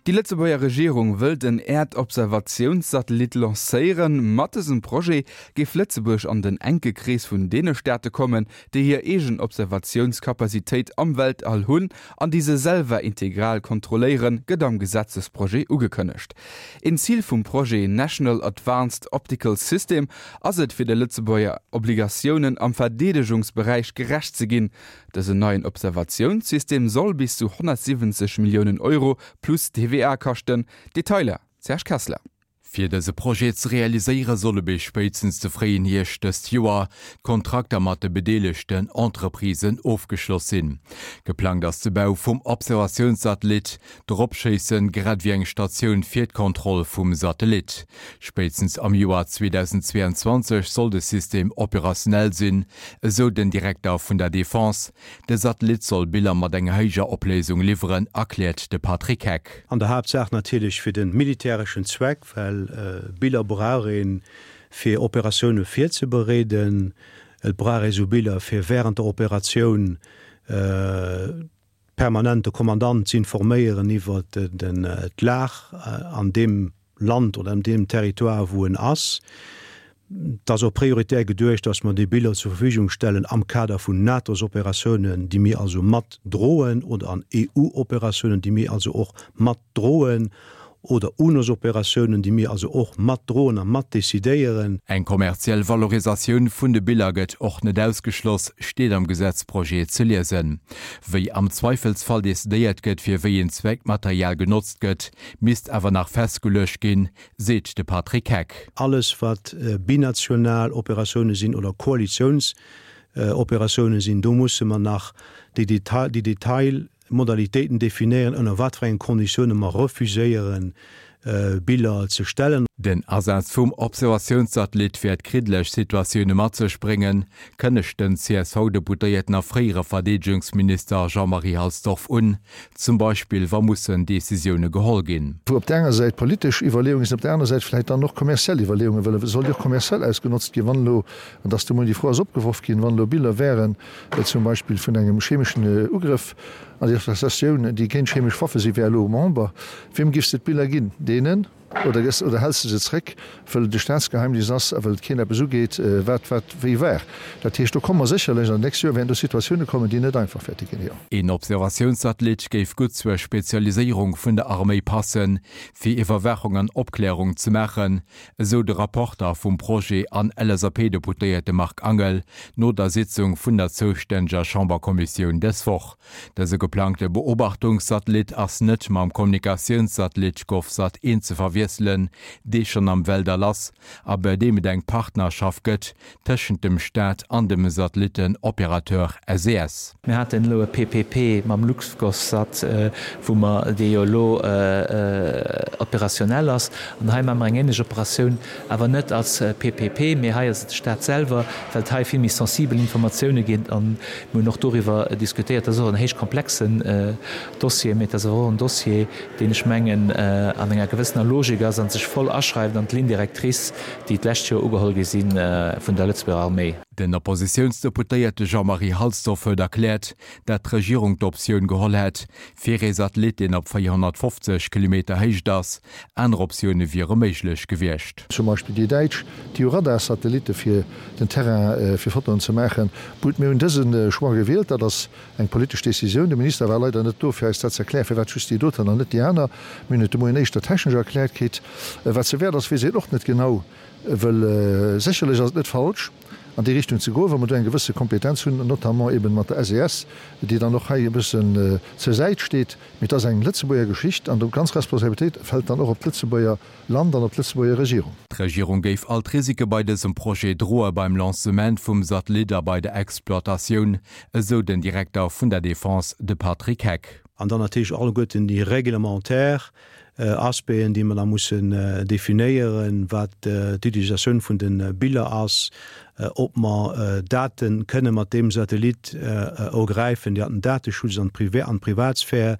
Déi Lëtzebuerger Regierung wëllt en Äerdobservatiounssatellit lancéieren. Mat dësem Projet géif Lëtzebuerg an den enke Krees vun deene Staate kommen, déi hir eegen Observatiounskapazitéit am Weltall hunn an déi se selwer integral kontrolléieren, gëtt am Gesetzesprojet ugekënnegt. Een Zil vum Projet National Advanced Optical System ass et, fir de Lëtzebuerger Obligatiounen am Verdeedegungsberäich gerecht ze ginn. Dësen neien Observatiounssystem soll bis zu 170 Milliounen Euro plus TVA kaschten. Detailer, Serge Kessler. Fir dëse Projet ze realiséiere solle bis spéitstens de fréien Hierscht dëst Joer d'Kontrakter mat de bedeelegten Entreprisen ofgeschloss sinn. Geplangt ass de Bau vum Observatiounssatellit, d'Eropschéissen, grad ewéi eng Statioun fir d'Kontroll vum Satellit. Spéitstens am Joer 2022 soll de System operationell sinn, esou den Direkter vun der Defense. De Satellit soll Biller mat enger héijer Opléisung liwweren, erkläert de Patrick Heck. An der Haaptsaach natierlech fir de militäreschen Zweck, well Biller brauch ee fir Operatioune virzebereeden. Et brauch ee sou Biller fir wärend der Operatioun permanent de Kommandant z'informéieren iwwer d'Lag an deem Land oder an deem Territoire, wou en ass. Et ass och prioritär geduecht, dass mer déi Biller zur Verfügung stellen am Kader vun NATO-s-Operatiounen, déi mir also mat droen, oder an EU-Operatiounen, déi mir also och mat droen, oder UNOS-Operatiounen, déi mir also och mat droen a mat decidéieren. Eng kommerziell Valorisatioun vun de Biller gëtt och net ausgeschloss, steet am Gesetzprojet ze liesen. Wéi am Zweifelsfall decidéiert gëtt, fir wéi een Zweck d'Material genotzt gëtt, misst awer nach festgeluecht ginn, seet de Patrick Heck. Alles wat binational Operatioune sinn oder Koalitiounsoperatioune sinn, do musse mer nach déi Detail Modalitéiten definéieren, ënner wat fir engen Konditioune mer refuséieren, Biller ze stellen. Den Asaz vum Observatiounssatellit wäert kriddeleg Situatioune mat sech bréngen, kënnegt den CSV-Deputéierten a fréiere Verdeedegungsminister Jean-Marie Halsdorf un. Zum Beispill wa mussen Decisioune geholl ginn. Wou op där enger Säit politesch Iwwerleeunge sinn, op där aner Säit vläicht dann och kommerziell Iwwerleeungen, well et soll jo och kommerziell ausgenotzt ginn, wann elo, an dass de Moien déi Fro ass opgeworf ginn, wann elo Biller wären, zum Beispill vun engem chemeschen Ugrëff an déi Associatioun, déi géint chemesch Waffe si wär elo Member, wiem giffs de d'Biller ginn? Deenen oder gëss oder häls de se zréck, wëll et e Staatsgeheimnis ass a wëll et keen eppes ugeet, wat wat wéi war? Dat heescht, do komme mer sécherlech an den nächste Joer wäerten do Situatioune kommen, déi net einfach wäerte ginn, jo. Een Observatiounssatellit géif gutt zur Spezialiséierung vun der Arméi passen, fir Iwwerwaachung an Opklärung ze maachen, esou de Rapporter vum Projet an LSAP-Deputéierte Marc Angel no der Sitzung vun der zoustänneger Chamberkommissioun dës Woch. Dëse geplangte Beobachtungssatellit ass net mam Kommunikatiounssatellit GovSat 1 ze verwiesselen, dee schonn am Weltall ass a bei deem et eng Partnerschaft gëtt tëschent dem Staat an dem Satellitten-Opérateur SES. Mir haten elo e PPP mam LuxGovSat, wou mer, dee jo elo opérationnel ass. An hei maache mer eng ähnlech Operatioun, awer net als PPP, mee hei ass et de Stat selwer, well et hei vill méi sensibel Informatioune ginn. An mir hunn och doriwwer diskutéiert. Dat ass och en héich komplexen Dossier, mee et ass awer och en Dossier, deen, ech mengen, an enger gewëssener Logik ass a sech voll aschreift an d'Ligne directrice, déi d'lescht Joer ugeholl gi si vun der Lëtzebuerger Arméi. Den Oppositiounsdeputéierte Jean-Marie Halsdorf huet erkläert, dat d'Regierung d'Optioun geholl hätt, fir ee Satellit, deen op 450 Kilometer Héicht ass. Aner Optioune wiere méiglech gewiescht. Zum Beispill déi Däitsch, déi hu Radarsatellitte fir den Terrain, fir Fotoen ze maachen. Gutt, mir hunn dëse Choix gewielt, dat ass eng politesch Decisioun. De Minister war leider net do, fir eis dat ze erklären, firwat just déi doten an net déi aner. Mir hunn et de Moien éischter technesch erkläert kritt. Wat se wäert ass, weess een och net genau. Well sécherlech ass et net falsch, an déi Richtung ze goen, wa mer do eng gewësse Kompetenz hunn, notamment eben mat der SES, déi dann och hei e bëssen zur Säit steet. Mee et ass eng Lëtzebuerger Geschicht an do ganz Responsabilitéit fält dann och op d'Lëtzebuerger Land an op d'Lëtzebuerger Regierung. D'Regierung géif all d'Risike bei dësem Projet droe beim Lancement vum Satellit a bei der Exploitatioun, esou den Direkter vun der Defense, de Patrick Heck. An dann natierlech alleguerten déi réglementaire. Aspecten, déi mer da mussen definéieren, wat d'Utilisatioun vun de Biller ass, ob mer Date kënne mat deem Satellit ergräifen, déi an den Dateschutz an d'Privatsphär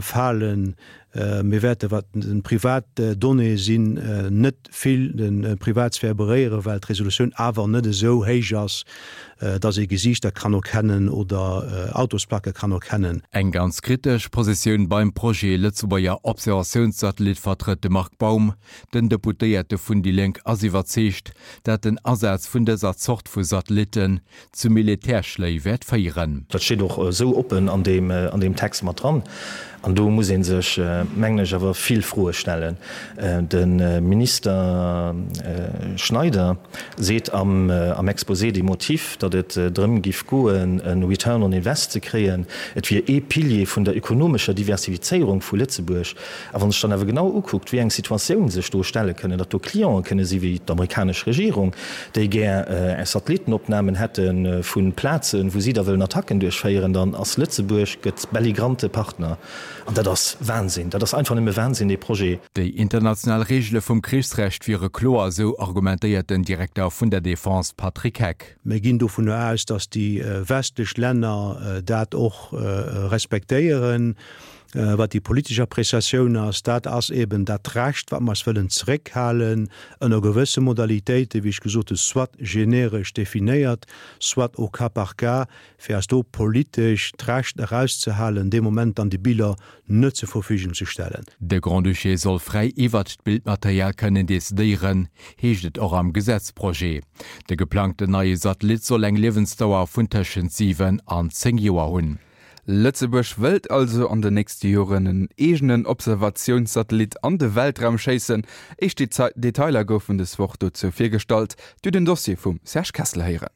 falen. Mir wäerte wat privat Donnéeë sinn, net vill de Privatsphär beréieren, well d'Resolutioun awer net esou héich ass, dass ee Gesiichter kann erkennen oder Autosplacke kann erkennen. Eng ganz kritesch Positioun beim Projet Lëtzebuerger Observatiounssatellit vertrëtt de Marc Baum. Den Deputéierte vun déi Lénk ass iwwerzeegt, dat den Asaz vun dëser Zort vu Satellitten zu Militärschléi wäert féieren. Dat steet och esou oppen an deem Text mat dran. An do muss ee sech, mengen ech, awer vill Froe stellen. De Minister Schneider seet am Exposé des motifs, datt et drëm giff goen, e Return on invest ze kréien. Et wier ee Pilier vun der ökonomescher Diversifizéierung vu Lëtzebuerg. A wann sech dann awer genau ukuckt, wéi eng Situatioun sech do stelle kënnen, datt do Clienten kënne si wéi d'amerikanesch Regierung, déi gär Satellittenopnamen hätte vu Plazen, wou si da wëllen Attacken duerchféieren, dann ass Lëtzebuerg gëtt belligrante Partner. An dat ass Wahnsinn. Dat ass einfach nëmme Wahnsinn, dee Projet. Déi international Reegele vum Krichsrecht wiere kloer, esou argumentéiert den Direkter vun der Defense Patrick Heck. Mir ginn dovunner aus, datt déi westlech Länner dat och respektéieren. Wat déi politesch Appréciatioun ass, dat ass eben dat Recht, wat mer eis wëllen zeréckhalen, ënner gewësse Modalitéiten, wéi ech gesot hunn, soit generesch definéiert, soit au cas par cas, fir eis do politesch d'Recht erauszehalen, dee Moment dann déi Biller net zur Verfügung ze stellen. De Grand-Duché soll fräi iwwert d'Bildmaterial kënnen decidéieren, heescht et och am Gesetzprojet. De geplangten neie Satellit soll eng Liewensdauer vun tëschent 7 an 10 Joer hunn. Lëtzebuerg wëllt also an den nächste Joren en eegenen Observatiounssatellit an de Weltraum schéissen. Éischt Detailer goufen des Woch dozou virgestallt. Dir den Dossier vum Serge Kessler héieren.